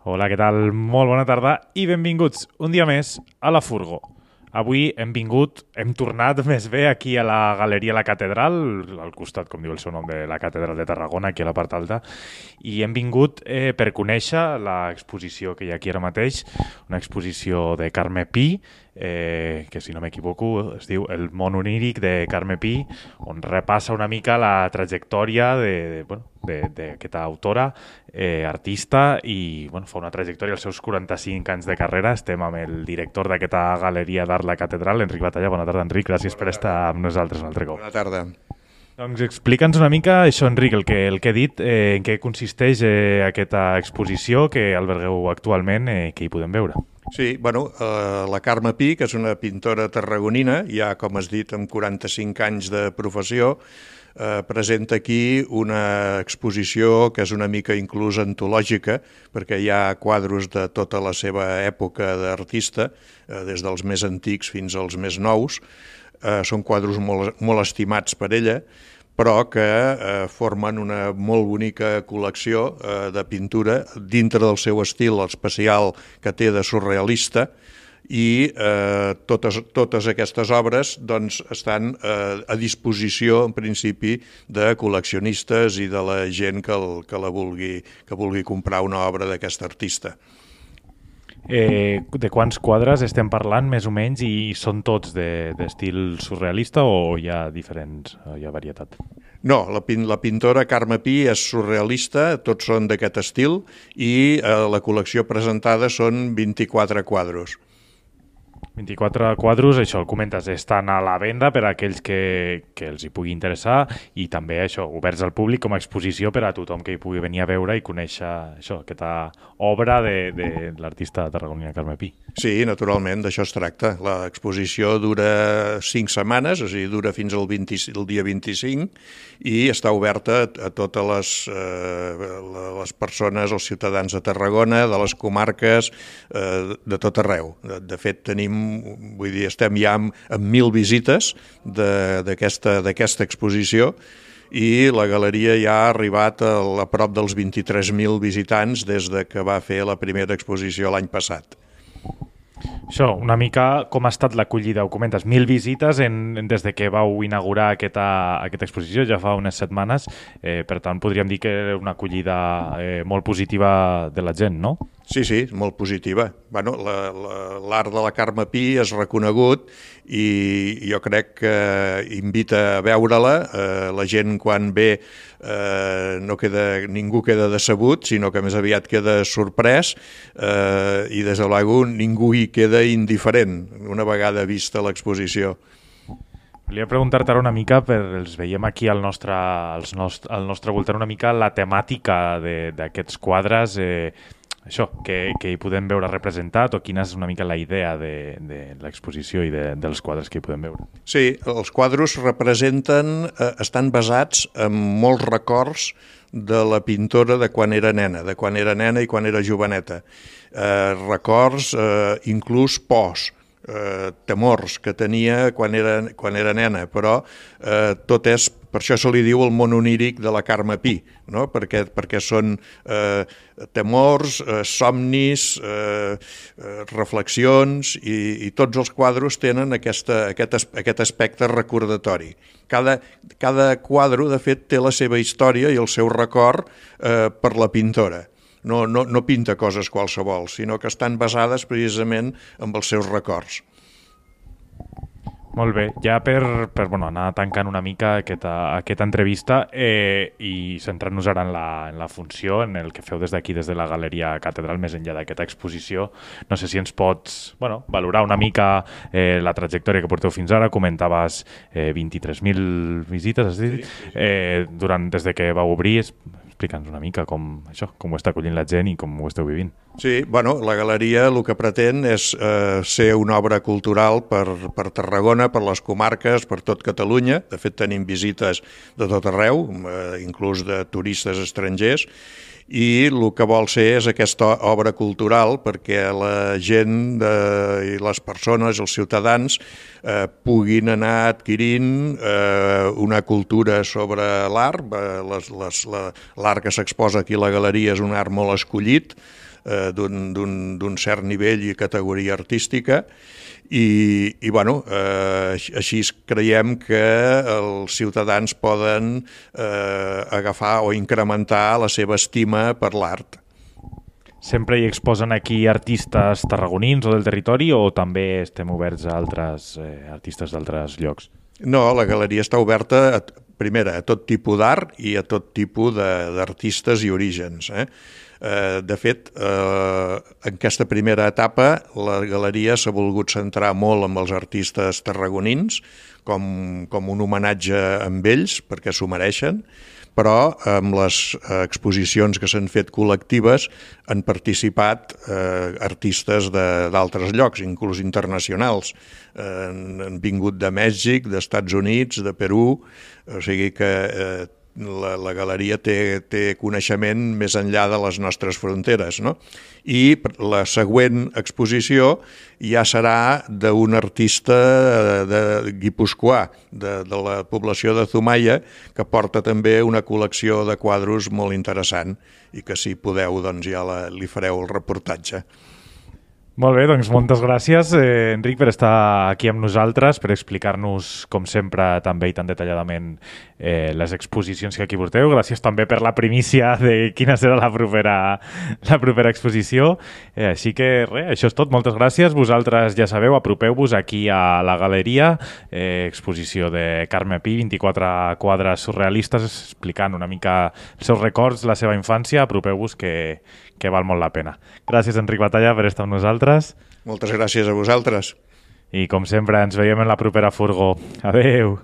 Hola, què tal? Molt bona tarda i benvinguts un dia més a La Furgo. Avui hem tornat més bé aquí a la Galeria La Catedral, al costat, com diu el seu nom, de la Catedral de Tarragona, aquí a la part alta, i hem vingut per conèixer l'exposició que hi ha aquí ara mateix, una exposició de Carme Pi, que si no m'equivoco es diu El món oníric de Carme Pi, on repassa una mica la trajectòria d'aquesta autora, artista, i fa una trajectòria als seus 45 anys de carrera. Estem amb el director d'aquesta Galeria d'Art La Catedral, Enric Batalla. Bona tarda, Enric. Gràcies per estar amb nosaltres un altre cop. Bona tarda. Doncs explica'ns una mica això, Enric, el que he dit, en què consisteix aquesta exposició que albergueu actualment, que hi podem veure. Sí, la Carme Pi, que és una pintora tarragonina, ja com has dit, amb 45 anys de professió, presenta aquí una exposició que és una mica inclús antològica, perquè hi ha quadros de tota la seva època d'artista, des dels més antics fins als més nous. Són quadros molt estimats per ella, però que formen una molt bonica col·lecció de pintura dintre del seu estil especial que té de surrealista, i totes aquestes obres doncs, estan a disposició, en principi, de col·leccionistes i de la gent que vulgui comprar una obra d'aquest artista. De quants quadres estem parlant, més o menys, i són tots d'estil surrealista o hi ha varietat? No, la pintora Carme Pi és surrealista, tots són d'aquest estil, i la col·lecció presentada són 24 quadros. 24 quadros, això el comentes, estan a la venda per a aquells que els hi pugui interessar, i també això, oberts al públic com a exposició per a tothom que hi pugui venir a veure i conèixer això, aquesta obra de l'artista tarragonina Carme Pi. Sí, naturalment, d'això es tracta. L'exposició dura 5 setmanes, o sigui, dura fins al dia 25, i està oberta a totes les persones, els ciutadans de Tarragona, de les comarques, de tot arreu. De fet, estem ja amb 1.000 visites d'aquesta exposició, i la galeria ja ha arribat a prop dels 23.000 visitants des que va fer la primera exposició l'any passat. Això, una mica com ha estat l'acollida, ho comentes, 1.000 visites des de que vau inaugurar aquesta exposició, ja fa unes setmanes, per tant podríem dir que era una acollida molt positiva de la gent, no? Sí, molt positiva. L'art de la Carme Pi és reconegut i jo crec que invita a veure-la. La gent quan ve ningú queda decebut, sinó que més aviat queda sorprès, i des de l'algú ningú hi queda indiferent una vegada vista l'exposició. Volia preguntar-te ara una mica, els veiem aquí al nostre voltant, una mica la temàtica d'aquests quadres, això, que hi podem veure representat, o quina és una mica la idea de l'exposició i dels quadres que hi podem veure. Sí, els quadros estan basats en molts records de la pintora de quan era nena i quan era joveneta. Records, inclús pors, temors que tenia quan era nena, però tot és, per això se li diu el món oníric de la Carme Pi, no? Perquè són temors, somnis, reflexions, i tots els quadros tenen aquest aspecte recordatori. Cada quadro, de fet, té la seva història i el seu record per la pintora. No pinta coses qualsevol, sinó que estan basades precisament en els seus records. Molt bé, ja per anar tancant una mica aquesta entrevista i centrant-nos ara en la funció, en el que feu des d'aquí, des de la Galeria Catedral, més enllà d'aquesta exposició, no sé si ens pots valorar una mica la trajectòria que porteu fins ara. Comentaves 23.000 visites, has dit, des de que vau obrir. Explica'ns una mica com ho està acollint la gent i com ho esteu vivint. Sí, la galeria el que pretén és ser una obra cultural per Tarragona, per les comarques, per tot Catalunya. De fet, tenim visites de tot arreu, inclús de turistes estrangers, i el que vol ser és aquesta obra cultural perquè la gent i les persones, els ciutadans, puguin anar adquirint una cultura sobre l'art. L'art que s'exposa aquí a la galeria és un art molt escollit, d'un cert nivell i categoria artística, i bueno, així creiem que els ciutadans poden agafar o incrementar la seva estima per l'art. Sempre hi exposen aquí artistes tarragonins o del territori o també estem oberts a altres artistes d'altres llocs? No, la galeria està oberta, primera, a tot tipus d'art i a tot tipus d'artistes i orígens. De fet, en aquesta primera etapa, la galeria s'ha volgut centrar molt en els artistes tarragonins, com un homenatge amb ells, perquè s'ho mereixen, però amb les exposicions que s'han fet col·lectives han participat artistes d'altres llocs, inclús internacionals. Han vingut de Mèxic, d'Estats Units, de Perú, o sigui que la galeria té coneixement més enllà de les nostres fronteres, no? I la següent exposició ja serà d'un artista guipuscoà, de la població de Zumaia, que porta també una col·lecció de quadros molt interessant i que si podeu doncs ja li fareu el reportatge. Molt bé, doncs moltes gràcies, Enric, per estar aquí amb nosaltres, per explicar-nos, com sempre, també i tan detalladament les exposicions que aquí porteu. Gràcies també per la primícia de quina serà la propera exposició. Així que res, això és tot. Moltes gràcies. Vosaltres ja sabeu, apropeu-vos aquí a la galeria, exposició de Carme Pi, 24 quadres surrealistes explicant una mica els seus records, la seva infància. Apropeu-vos que val molt la pena. Gràcies, Enric Batalla, per estar amb nosaltres. Moltes gràcies a vosaltres. I, com sempre, ens veiem en la propera furgó. Adeu!